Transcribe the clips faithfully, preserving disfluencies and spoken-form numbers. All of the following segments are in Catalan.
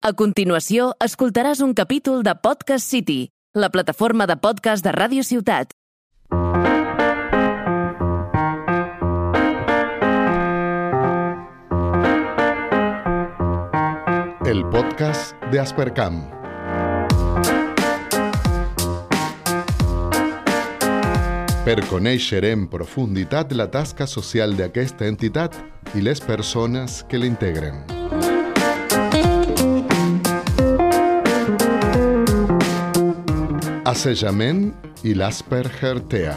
A continuació, escoltaràs un capítol de Podcast City, la plataforma de podcast de Ràdio Ciutat. El podcast de Aspercam. Per conèixer en profunditat la tasca social d'aquesta entitat i les persones que l'integren. Assajament i l'Asperger-TEA.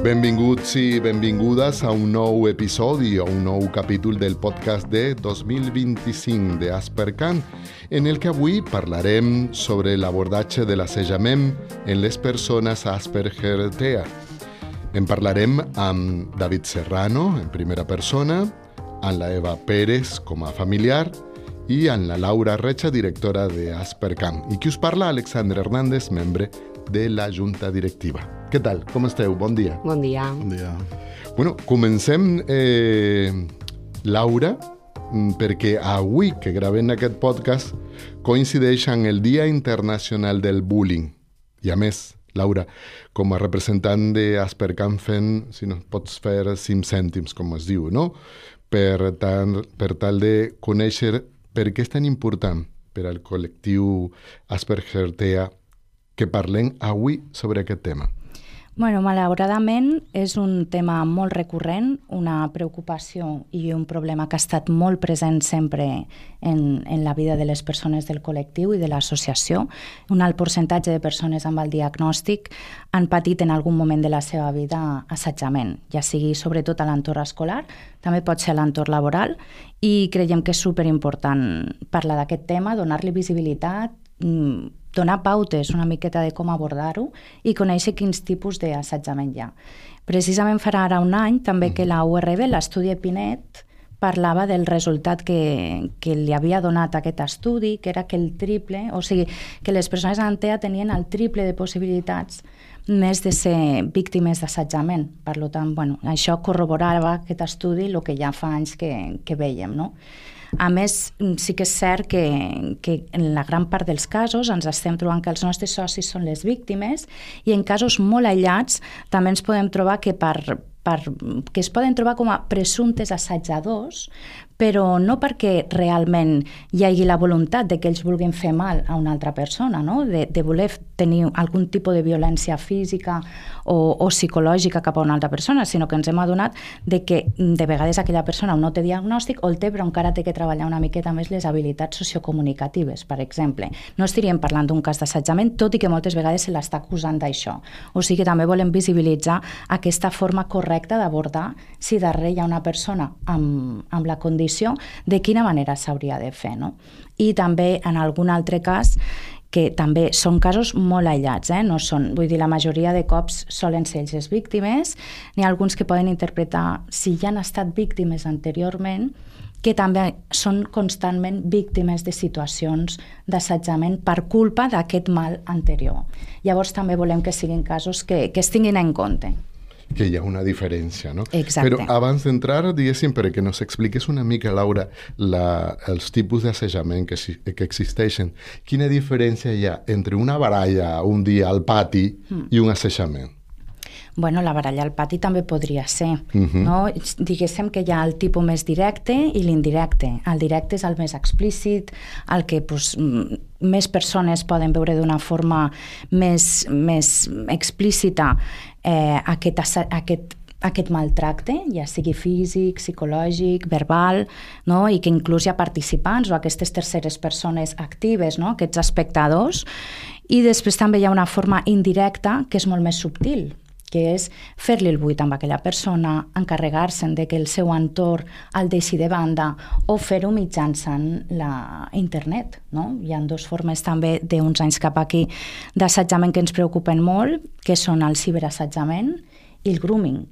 Benvinguts i benvingudes a un nou episodi o un nou capítol del podcast de dos mil vint-i-cinc de Aspercam, en el que avui parlarem sobre l'abordatge de l'assajament en les persones Asperger-TEA. En parlarem amb David Serrano, en primera persona, amb la Eva Pérez com a familiar i amb la Laura Recha, directora de Aspercam. I qui us parla, Alexandre Hernández, membre de la Junta Directiva. Què tal? Com esteu? Bon dia. Bon dia. Bon dia. Bueno, comencem, eh, Laura, perquè avui que gravem aquest podcast coincideix amb el Dia Internacional del Bullying. I a més, Laura, com a representant d'Aspercam fent, si no pots fer cinc cèntims, com es diu, no? Per tal, per tal de conèixer per què és tan important per al col·lectiu Asperger-TEA que parlem avui sobre aquest tema. Bueno, malauradament és un tema molt recurrent, una preocupació i un problema que ha estat molt present sempre en, en la vida de les persones del col·lectiu i de l'associació. Un alt percentatge de persones amb el diagnòstic han patit en algun moment de la seva vida assetjament, ja sigui sobretot a l'entorn escolar, també pot ser a l'entorn laboral, i creiem que és superimportant parlar d'aquest tema, donar-li visibilitat, donar pautes una miqueta de com abordar-ho i conèixer quins tipus d'assetjament hi ha. Precisament farà ara un any també que la U R B, l'estudi Epinet, parlava del resultat que, que li havia donat aquest estudi, que era que el triple, o sigui, que les persones amb TEA tenien el triple de possibilitats més de ser víctimes d'assetjament. Per tant, bueno, això corroborava aquest estudi el que ja fa anys que, que veiem, no? A més, sí que és cert que, que en la gran part dels casos ens estem trobant que els nostres socis són les víctimes i en casos molt aïllats també ens podem trobar que, per, per, que es poden trobar com a presumptes assetjadors, però no perquè realment hi hagi la voluntat de que ells vulguin fer mal a una altra persona, no? de, de voler tenir algun tipus de violència física o, o psicològica cap a una altra persona, sinó que ens hem adonat de que de vegades aquella persona no té diagnòstic o el té, però encara té que treballar una miqueta més les habilitats sociocomunicatives, per exemple. No estaríem parlant d'un cas d'assetjament, tot i que moltes vegades se l'està acusant d'això. O sigui que també volem visibilitzar aquesta forma correcta d'abordar si darrere hi ha una persona amb, amb la condició de quina manera s'hauria de fer, no? I també en algun altre cas, que també són casos molt aïllats, eh? No són, vull dir, la majoria de cops solen ser ells les víctimes, n'hi ha alguns que poden interpretar si ja han estat víctimes anteriorment, que també són constantment víctimes de situacions d'assetjament per culpa d'aquest mal anterior. Llavors també volem que siguin casos que, que es tinguin en compte. Que hi ha una diferència, no? Exacte. Però abans d'entrar, diguéssim, perquè nos expliques una mica, Laura, la, els tipus d'assajament que, que existeixen. Quina diferència hi ha entre una baralla un dia al pati mm. i un assajament? Bueno, la baralla al pati també podria ser, uh-huh. no? Diguéssim que hi ha el tipus més directe i l'indirecte. El directe és el més explícit, el que pues, més persones poden veure d'una forma més, més explícita eh, aquest, aquest, aquest maltracte, ja sigui físic, psicològic, verbal, no? I que inclús hi ha participants o aquestes terceres persones actives, no? Aquests espectadors. I després també hi ha una forma indirecta que és molt més subtil, que és fer-li el buit amb aquella persona, encarregar-se'n de que el seu entorn el deixi de banda o fer-ho mitjançant la internet, no? Hi ha dues formes també d'uns anys cap aquí d'assetjament que ens preocupen molt, que són el ciberassetjament i el grooming.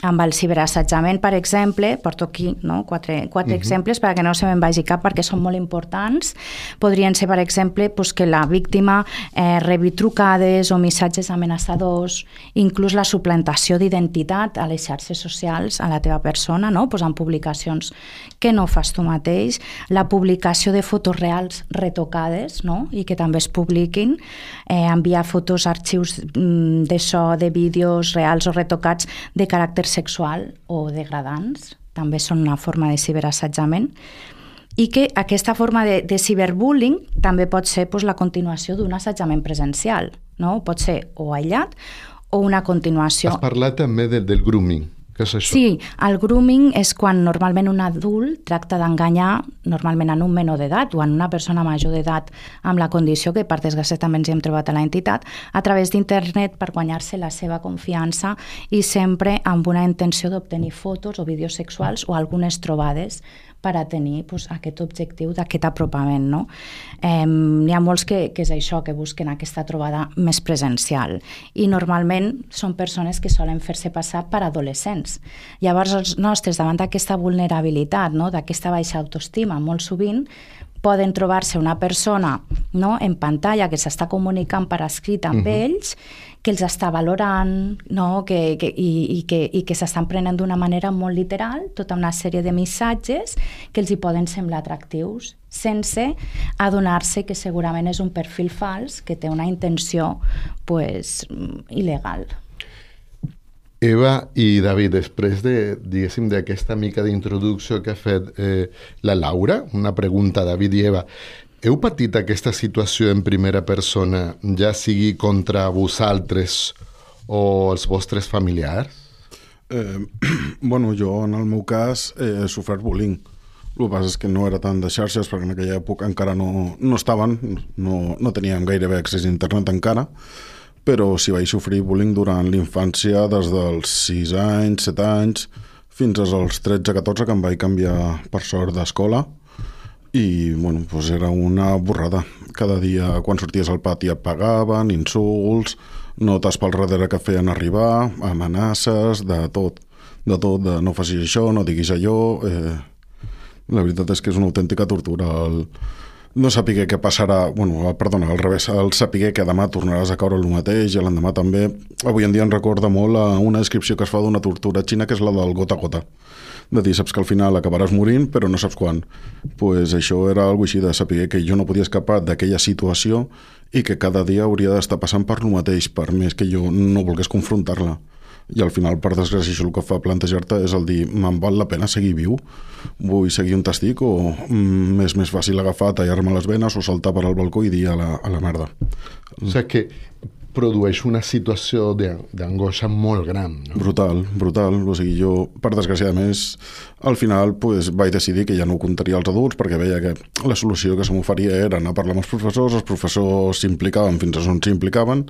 amb el ciberassetjament, per exemple, porto aquí no? quatre, quatre uh-huh. exemples perquè no se me'n vagi cap perquè són molt importants. Podrien ser, per exemple, pues, que la víctima eh, rebi trucades o missatges amenaçadors, inclús la suplantació d'identitat a les xarxes socials a la teva persona, no? pues, en publicacions que no fas tu mateix, la publicació de fotos reals retocades no? i que també es publiquin, eh, enviar fotos, arxius mm, de so, de vídeos reals o retocats de caràcter sexual o degradants, també són una forma de ciberassetjament, i que aquesta forma de, de ciberbullying també pot ser pues, la continuació d'un assetjament presencial, no? Pot ser o aïllat o una continuació. Has parlat també de, del grooming. Què és això? Sí, el grooming és quan normalment un adult tracta d'enganyar normalment en un menor d'edat o en una persona major d'edat amb la condició que per desgràcia també ens hi hem trobat a l'entitat a través d'internet per guanyar-se la seva confiança i sempre amb una intenció d'obtenir fotos o vídeos sexuals o algunes trobades per a tenir pues, aquest objectiu d'aquest apropament. No? Eh, n'hi ha molts que, que és això, que busquen aquesta trobada més presencial i normalment són persones que solen fer-se passar per adolescents. Llavors els nostres, davant d'aquesta vulnerabilitat, no? d'aquesta baixa autoestima, molt sovint poden trobar-se una persona no? en pantalla que s'està comunicant per escrit amb uh-huh. ells, que els està valorant no? que, que, i, i que, i que s'estan prenent d'una manera molt literal tota una sèrie de missatges que els hi poden semblar atractius sense adonar-se que segurament és un perfil fals que té una intenció pues, il·legal. Eva i David, després de, diguéssim, d'aquesta mica d'introducció que ha fet eh, la Laura, una pregunta a David i Eva, heu patit aquesta situació en primera persona, ja sigui contra vosaltres o els vostres familiars? Eh, bueno, jo en el meu cas he sofert bullying. El que passa és que no era tant de xarxes perquè en aquella època encara no, no estaven, no, no teníem gairebé accés a internet encara, però sí vaig sofrir bullying durant l'infància des dels sis anys, set anys, fins als tretze catorze que em vaig canviar per sort d'escola i bueno, doncs era una borrada. Cada dia quan sorties al pati et pagaven, insults, notes pel darrere que feien arribar, amenaces, de tot, de tot, de no facis això, no diguis allò. Eh, la veritat és que és una autèntica tortura el no saber què passarà, bueno, perdona, al revés, el saber que demà tornaràs a caure el mateix i l'endemà també. Avui en dia em recorda molt a una descripció que es fa d'una tortura xina, que és la del gota a gota. De dir, saps que al final acabaràs morint, però no saps quan. Pues això era alguna així de saber que jo no podia escapar d'aquella situació i que cada dia hauria d'estar passant per lo mateix, per més que jo no volgués confrontar-la. I al final, per desgràcia, això el que fa plantejar-te és el dir, me'n val la pena seguir viu? Vull seguir un testic o mm, és més fàcil agafar, tallar-me les venes o saltar per al balcó i dir a la, a la merda? O sigui que produeix una situació d'angoixa molt gran, no? Brutal, brutal. O sigui, jo, per desgràcia, més, al final pues, vaig decidir que ja no ho contaria als adults perquè veia que la solució que se m'oferia era anar a parlar amb els professors, els professors s'implicaven fins a on s'implicaven,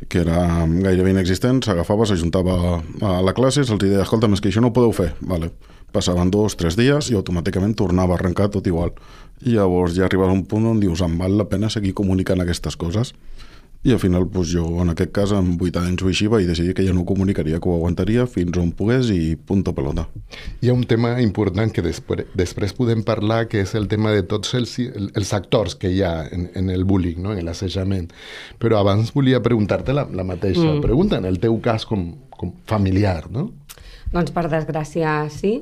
que era gairebé inexistent, s'agafava, s'ajuntava a la classe, se'ls deia, escolta, és que això no ho podeu fer. Vale. Passaven dos, tres dies i automàticament tornava a arrencar tot igual. I llavors ja arribes a un punt on dius, em val la pena seguir comunicant aquestes coses. I al final doncs, jo, en aquest cas, amb vuit anys o així, vaig decidir que ja no ho comunicaria, que ho aguantaria fins on pogués i punto pelota. Hi ha un tema important que després, després podem parlar, que és el tema de tots els, els actors que hi ha en, en el bullying, no? en l'assetjament. Però abans volia preguntar-te la, la mateixa mm. pregunta, en el teu cas com, com familiar, no? Doncs per desgràcia sí.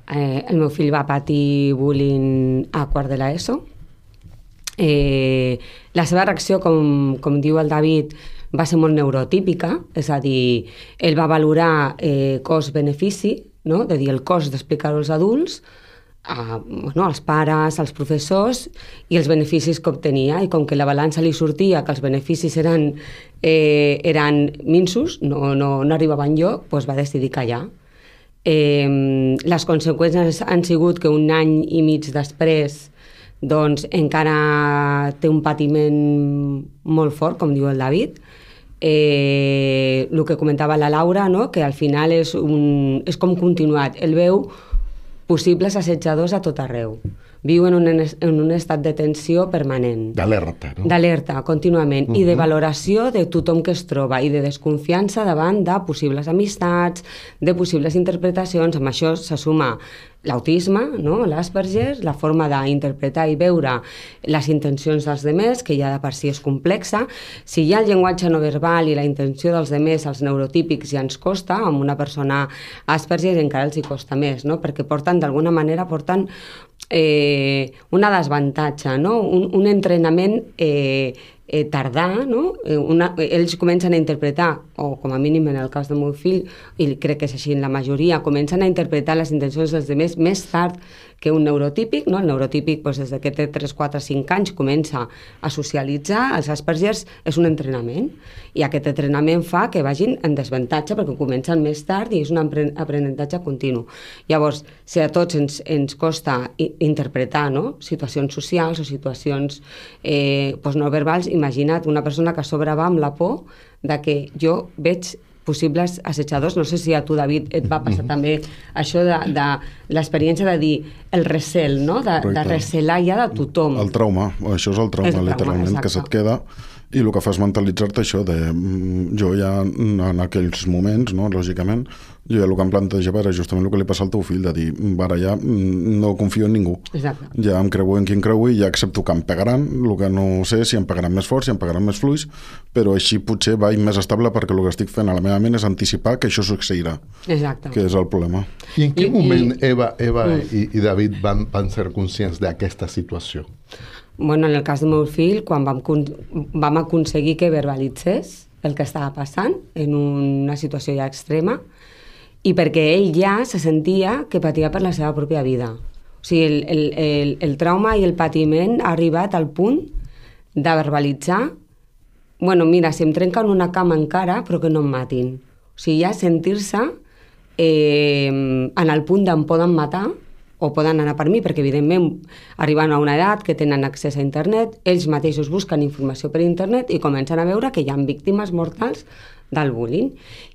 Eh, el meu fill va patir bullying a quart de l'ESO. Eh, la seva reacció, com, com diu el David, va ser molt neurotípica, és a dir, ell va valorar eh, cost-benefici, no? De dir el cost d'explicar-ho als adults, a, bueno, als pares, als professors, i els beneficis que obtenia, i com que la balança li sortia que els beneficis eren, eh, eren minsos, no, no, no arribaven enlloc, doncs va decidir callar. Eh, les conseqüències han sigut que un any i mig després doncs encara té un patiment molt fort, com diu el David. Eh, el que comentava la Laura, no? Que al final és, un, és com continuat. Ell veu possibles assetjadors a tot arreu. Viu en un, en un estat de tensió permanent. D'alerta, no? D'alerta, contínuament. Uh-huh. I de valoració de tothom que es troba i de desconfiança davant de possibles amistats, de possibles interpretacions. Amb això se suma l'autisme, no? l'Asperger, la forma d'interpretar i veure les intencions dels demés, que ja de per si és complexa. Si hi ha el llenguatge no verbal i la intenció dels demés, els neurotípics, ja ens costa, amb una persona Asperger encara els hi costa més, no? Perquè porten, d'alguna manera, porten eh, una desavantatge, no? un, un entrenament eh, eh, tardà, no? Eh, una, ells comencen a interpretar, o com a mínim en el cas del meu fill, i crec que és així en la majoria, comencen a interpretar les intencions dels demés més tard que un neurotípic, no? El neurotípic, doncs, des que té tres, quatre, cinc anys, comença a socialitzar. Els Aspergers és un entrenament, i aquest entrenament fa que vagin en desavantatge perquè comencen més tard i és un aprenentatge continu. Llavors, si a tots ens, ens costa interpretar, no? Situacions socials o situacions eh, doncs no verbals, imagina't una persona que a sobre va amb la por de que jo veig possibles assetjadors. No sé si a tu, David, et va passar mm-hmm. també això de, de l'experiència de dir el recel, no? de, de recelar ja de tothom. El trauma, això és el trauma, el trauma literalment, exacte. Que se't queda, i el que fa és mentalitzar-te això de... Jo ja en aquells moments, no, lògicament, jo ja el que em plantejava era justament el que li passa al teu fill, de dir, ara ja no confio en ningú. Exacte. Ja em creu en qui em creu i ja accepto que em pegaran, el que no sé si em pegaran més fort, si em pegaran més fluix, però així potser vaig més estable perquè el que estic fent a la meva ment és anticipar que això succeirà. Exacte. Que és el problema. I en quin I, moment i... Eva, Eva mm. i, i David van, van ser conscients d'aquesta situació? Bueno, en el cas del meu fill, quan vam, vam aconseguir que verbalitzés el que estava passant en una situació ja extrema, i perquè ell ja se sentia que patia per la seva pròpia vida. O sigui, el, el, el, el trauma i el patiment ha arribat al punt de verbalitzar, bueno, mira, si em trenquen una cama encara, però que no em matin. O sigui, ja sentir-se eh, en el punt d'em poden matar, o poden anar per mi, perquè evidentment arriben a una edat que tenen accés a internet, ells mateixos busquen informació per internet i comencen a veure que hi ha víctimes mortals del bullying.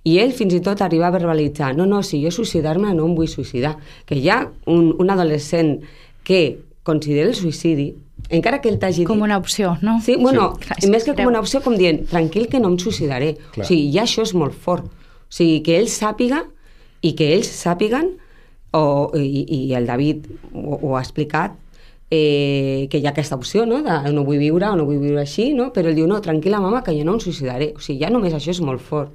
I ell fins i tot arriba a verbalitzar, no, no, si jo suïcidar-me no em vull suïcidar. Que hi ha un, un adolescent que considera el suïcidi, encara que ell t'hagi dit... Com una opció, no? Sí, bueno, sí. més que com una opció, com dient, tranquil que no em suïcidaré. Clar. O sigui, ja això és molt fort. O sigui, que ell sàpiga i que ells sàpiguen, o, i, i el David ho, ho ha explicat, eh, que hi ha aquesta opció, no? De no vull viure o no vull viure així, no? Però ell diu, no, tranquil·la, mama, que jo no em suïcidaré. O sigui, ja només això és molt fort.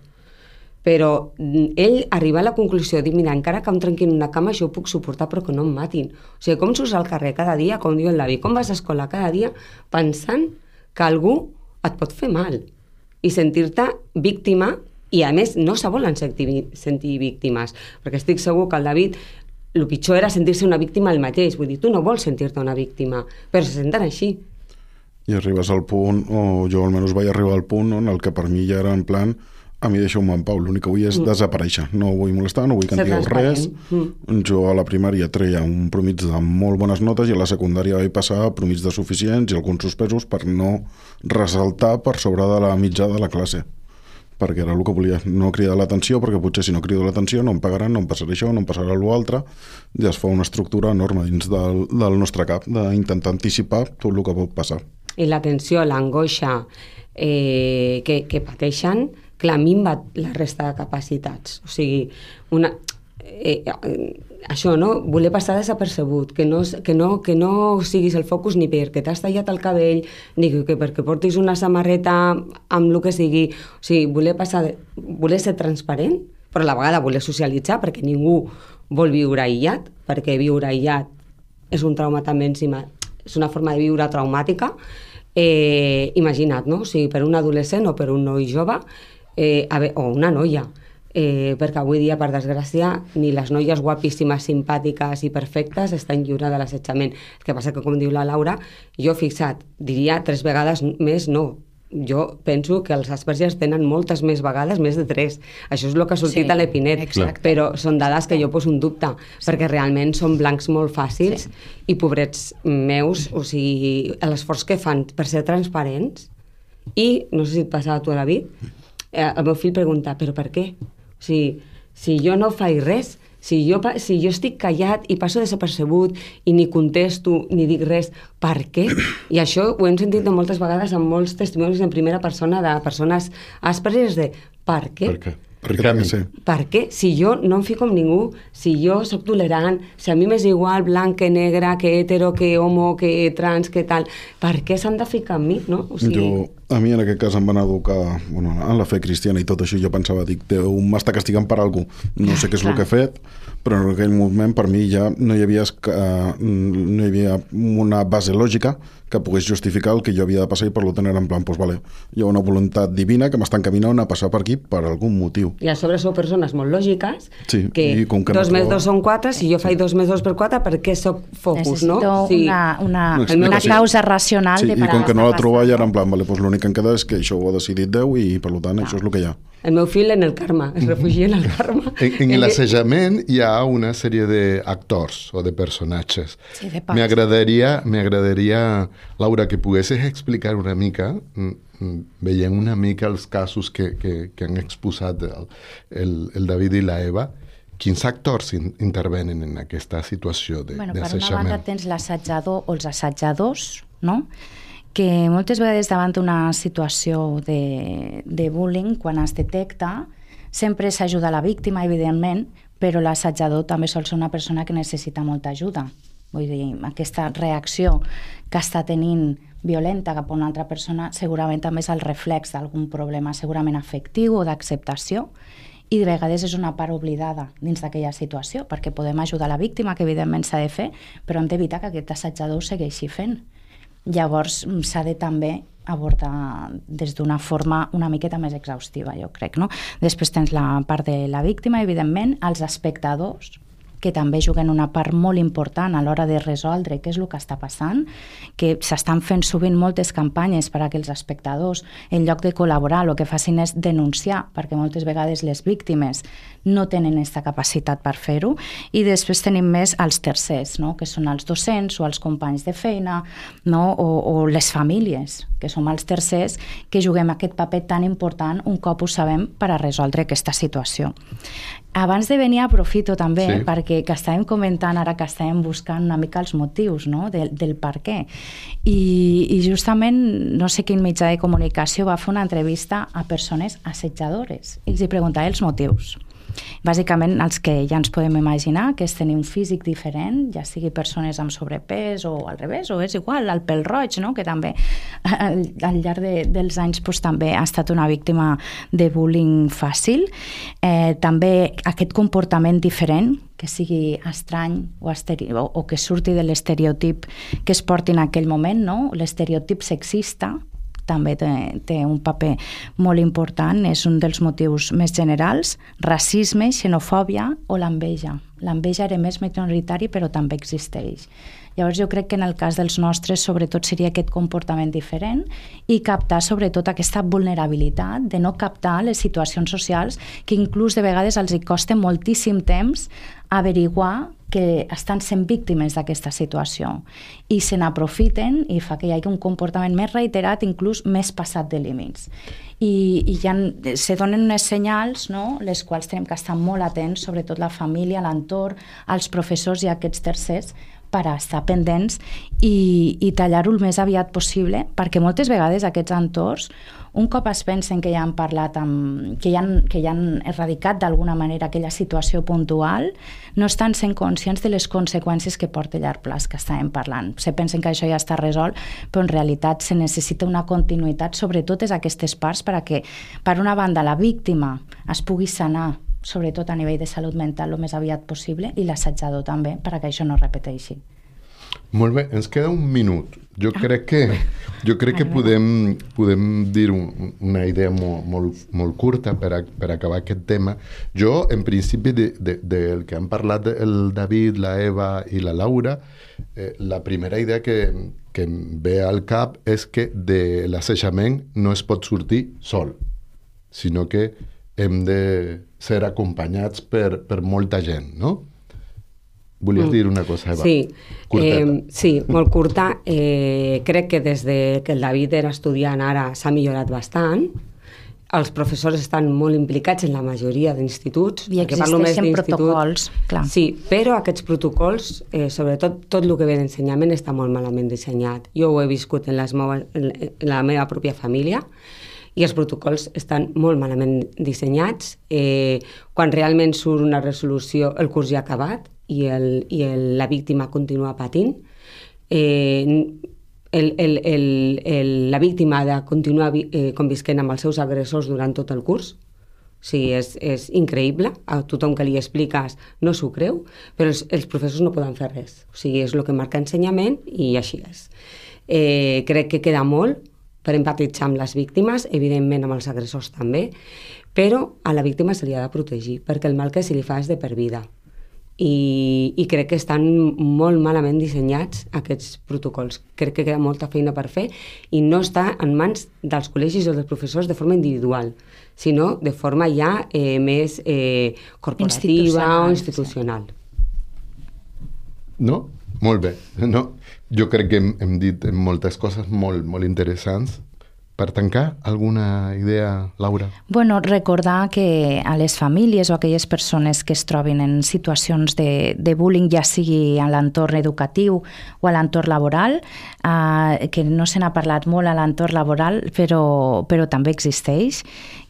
Però ell arriba a la conclusió de dir, mira, encara que em trenquin una cama, jo ho puc suportar, però que no em matin. O sigui, com surts al carrer cada dia, com diu el David, com vas a escola cada dia pensant que algú et pot fer mal i sentir-te víctima, i a més no se volen sentir, sentir víctimes, perquè estic segur que el David... El pitjor era sentir-se una víctima el mateix. Vull dir, tu no vols sentir-te una víctima, però se senten així. I arribes al punt, o jo almenys vaig arribar al punt en el que per mi ja era en plan, a mi deixeu-me en pau, l'únic que vull és mm. desaparèixer. No vull molestar, no vull que em digueu res. Mm. Jo a la primària treia un promig de molt bones notes i a la secundària vaig passar a promig de suficients i alguns suspesos per no ressaltar per sobre de la mitja de la classe, perquè era el que volia, no cridar l'atenció, perquè potser si no crido l'atenció no em pagaran, no em passarà això, no em passarà l'altre, i es fa una estructura enorme dins del, del nostre cap, d'intentar anticipar tot el que pot passar. I la tensió, l'angoixa eh, que, que pateixen, clar, minva la resta de capacitats. O sigui, una... Eh, eh, això, no? Voler passar desapercebut, que no, que, no, que no siguis el focus ni perquè t'has tallat el cabell, ni que perquè portis una samarreta amb el que sigui. O sigui, voler passar, voler ser transparent, però a la vegada voler socialitzar, perquè ningú vol viure aïllat, perquè viure aïllat és un trauma també en si, és una forma de viure traumàtica. Eh, imagina't, no? O sigui, per un adolescent o per un noi jove, eh, a veure, o una noia, Eh, perquè avui dia, per desgràcia, ni les noies guapíssimes, simpàtiques i perfectes estan lliures de l'assetjament. El que passa que, com diu la Laura, jo, fixat, diria tres vegades més no. Jo penso que els Aspergers tenen moltes més vegades, més de tres. Això és el que ha sortit sí, a l'Epinet, exacte. Però són dades que jo poso un dubte, sí. Perquè realment són blancs molt fàcils sí. I pobrets meus, o sigui, l'esforç que fan per ser transparents. I, no sé si et passava a tu, David, eh, el meu fill pregunta, però per què? O sigui, si jo no faig res, Si jo, si jo estic callat i passo desapercebut i ni contesto ni dic res, per què? I això ho hem sentit moltes vegades en molts testimonis en primera persona de persones àsperes de per què? Per què? Per què? Sí. Per què? Si jo no em fico amb ningú, si jo sóc tolerant, si a mi m'és igual blanc que negre, que hetero, que homo, que trans, que tal, per què s'han de ficar amb mi, no? O sigui... Jo, a mi en aquest cas em van educar bueno, en la fe cristiana i tot això, jo pensava, dic, Déu m'està castigant per alguna cosa, no sé què és el que he fet, però en aquell moment per mi ja no hi havia, uh, no hi havia una base lògica que pogués justificar el que jo havia de passar i per tant era en plan, doncs vale, hi ha una voluntat divina que m'està encaminant a passar per aquí per algun motiu. I a sobre sou persones molt lògiques, sí, que, i com que dos no més trobo... dos són quatre, si jo faig dos més dos per quatre, per què soc focus, Necessito no? Sí. una, una, una, una causa racional sí, de i com que no la troba ja era en no? plan, vale, doncs l'únic que em queda és que això ho ha decidit Déu i per tant no. Això és el que hi ha. El meu fill en el karma, es refugia en el karma. En, en l'assajament hi ha una sèrie d'actors o de personatges. Sí, de me agradaria, me agradaria, Laura, que poguessis explicar una mica, veient una mica els casos que, que, que han exposat el, el, el David i la Eva, quins actors in, intervenen en aquesta situació de, bueno, d'assajament? Per una banda tens l'assajador o els assajadors, no?, que moltes vegades davant d'una situació de, de bullying, quan es detecta, sempre s'ajuda la víctima, evidentment, però l'assajador també sol ser una persona que necessita molta ajuda. Vull dir, aquesta reacció que està tenint violenta cap a una altra persona segurament també és el reflex d'algun problema segurament afectiu o d'acceptació, i de vegades és una part oblidada dins d'aquella situació, perquè podem ajudar la víctima, que evidentment s'ha de fer, però hem d'evitar que aquest assajador ho segueixi fent. Llavors s'ha de també abordar des d'una forma una miqueta més exhaustiva, jo crec, no? Després tens la part de la víctima, evidentment, els espectadors, que també juguen una part molt important a l'hora de resoldre què és el que està passant, que s'estan fent sovint moltes campanyes per a que els espectadors, en lloc de col·laborar, el que facin és denunciar, perquè moltes vegades les víctimes no tenen aquesta capacitat per fer-ho, i després tenim més els tercers, no?, que són els docents o els companys de feina, no?, o, o les famílies, que som els tercers, que juguem aquest paper tan important un cop ho sabem per a resoldre aquesta situació. Abans de venir aprofito també, sí, perquè que estàvem comentant ara que estàvem buscant una mica els motius, no?, del, del per què. I, I justament, no sé quin mitjà de comunicació va fer una entrevista a persones assetjadores i els hi preguntava els motius. Bàsicament els que ja ens podem imaginar, que és tenir un físic diferent, ja sigui persones amb sobrepès o al revés, o és igual, el pèl roig, no?, que també al, al llarg de, dels anys pues, també ha estat una víctima de bullying fàcil. Eh, també aquest comportament diferent, que sigui estrany o, esteri- o, o que surti de l'estereotip que es porti en aquell moment, no?, l'estereotip sexista, també té, té un paper molt important, és un dels motius més generals, racisme, xenofòbia o l'enveja. L'enveja era més minoritari però també existeix. Llavors jo crec que en el cas dels nostres sobretot seria aquest comportament diferent i captar sobretot aquesta vulnerabilitat de no captar les situacions socials que inclús de vegades els hi costa moltíssim temps averiguar que estan sent víctimes d'aquesta situació i se n'aprofiten i fa que hi hagi un comportament més reiterat, inclús més passat de límits. I, i ja se donen unes senyals, no?, les quals tenim que estar molt atents, sobretot la família, l'entorn, els professors i aquests tercers, per a estar pendents i, i tallar-ho el més aviat possible, perquè moltes vegades aquests entorns, un cop es pensen que ja han parlat amb, que, ja han, que ja han erradicat d'alguna manera aquella situació puntual, no estan sent conscients de les conseqüències que porta a llarg plaç que estàvem parlant. Se pensen que això ja està resolt, però en realitat se necessita una continuïtat sobre totes aquestes parts per a que, per una banda, la víctima es pugui sanar, sobretot a nivell de salut mental el més aviat possible, i l'assajador també, perquè això no es repeteixi. Molt bé, ens queda un minut. Jo crec que, jo crec que podem, podem dir un, una idea molt, molt, molt curta per, a, per acabar aquest tema. Jo, en principi, de, de, del que han parlat el David, la Eva i la Laura, eh, la primera idea que, que em ve al cap és que de l'assajament no es pot sortir sol, sinó que hem de ser acompanyats per, per molta gent, no? Volies mm. dir una cosa, Eva? Sí, Curteta. eh, sí, molt curta. Eh, crec que des de que el David era estudiant ara s'ha millorat bastant. els professors estan molt implicats en la majoria d'instituts. I existeixen protocols, clar. Sí, però aquests protocols, eh, sobretot tot el que ve d'ensenyament, està molt malament dissenyat. Jo ho he viscut en, les meves, en la meva pròpia família i els protocols estan molt malament dissenyats. Eh, quan realment surt una resolució, el curs ja ha acabat i, el, i el, la víctima continua patint. Eh, El, el, el, el, la víctima ha de continuar eh, convisquent amb els seus agressors durant tot el curs. O sigui, és, és increïble. A tothom que li expliques no s'ho creu, però els, els professors no poden fer res. O sigui, és el que marca ensenyament i així és. Eh, crec que queda molt per empatitzar amb les víctimes, evidentment amb els agressors també, però a la víctima se li ha de protegir, perquè el mal que se li fa és de per vida. I, i crec que estan molt malament dissenyats aquests protocols. Crec que queda molta feina per fer i no està en mans dels col·legis o dels professors de forma individual, sinó de forma ja eh, més eh, corporativa o institucional. No? Molt bé. No? Jo crec que hem, hem dit moltes coses molt, molt interessants. Per tancar, alguna idea, Laura? Bueno, recordar que a les famílies o a aquelles persones que es trobin en situacions de, de bullying, ja sigui a l'entorn educatiu o a l'entorn laboral, eh, que no se n'ha parlat molt a l'entorn laboral, però, però també existeix,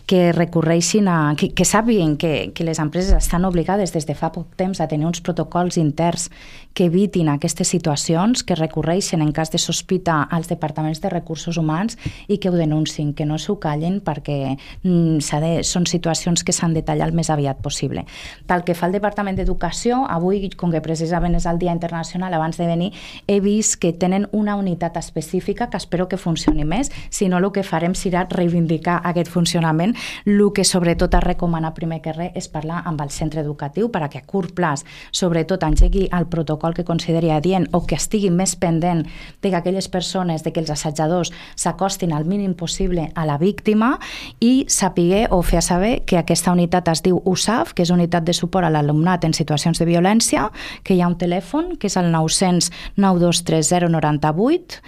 que recorreixin a... que, que sàpiguen que, que les empreses estan obligades des de fa poc temps a tenir uns protocols interns que evitin aquestes situacions, que recorreixen en cas de sospita als departaments de recursos humans i que ho denuncin, que no s'ho callin perquè mm, de, són situacions que s'han de tallar el més aviat possible. Pel que fa al Departament d'Educació, avui, com que precisament és el Dia Internacional, abans de venir, he vist que tenen una unitat específica que espero que funcioni més, si no el que farem serà reivindicar aquest funcionament. El que sobretot es recomana primer que res és parlar amb el centre educatiu perquè a curt plaç, sobretot, engegui el protocol que consideri adient o que estigui més pendent de que aquelles persones, de que els assetjadors s'acostin al mínim possible a la víctima i sapiguer o fer saber que aquesta unitat es diu U S A F, que és Unitat de Suport a l'Alumnat en Situacions de Violència, que hi ha un telèfon, que és el nou cents nou dos tres zero nou vuit,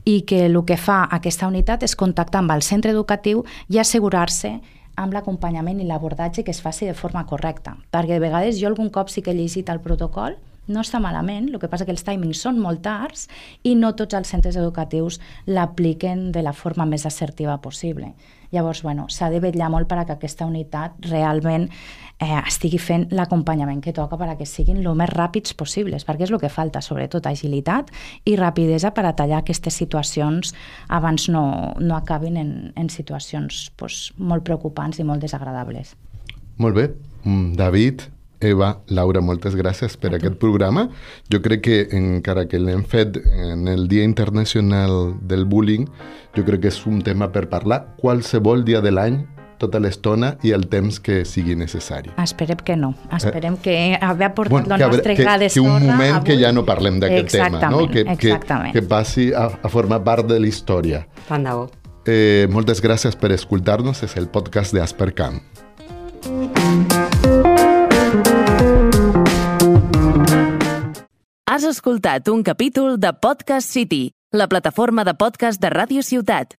i que el que fa aquesta unitat és contactar amb el centre educatiu i assegurar-se amb l'acompanyament i l'abordatge que es faci de forma correcta. Perquè de vegades jo algun cop sí que he llegit el protocol, no està malament, el que passa que els timings són molt tards i no tots els centres educatius l'apliquen de la forma més assertiva possible. Llavors, bueno, s'ha de vetllar molt perquè aquesta unitat realment eh, estigui fent l'acompanyament que toca perquè siguin el més ràpids possibles, perquè és el que falta, sobretot agilitat i rapidesa per a tallar aquestes situacions abans no, no acabin en, en situacions pues, molt preocupants i molt desagradables. Molt bé. David, Eva, Laura, moltes gràcies per aquest programa. Jo crec que encara que l'hem fet en el Dia Internacional del Bullying, jo crec que és un tema per parlar qualsevol dia de l'any, tota l'estona i el temps que sigui necessari. Esperem que no. Esperem eh? que haver portat bueno, el que nostre que, gra de sorra... Que un moment avui... que ja no parlem d'aquest tema, no? Que, que, que passi a, a formar part de la història. Tant de bo. Eh, moltes gràcies per escoltar-nos. És el podcast de Aspercan. Has escoltat un capítol de Podcast City, la plataforma de podcast de Ràdio Ciutat.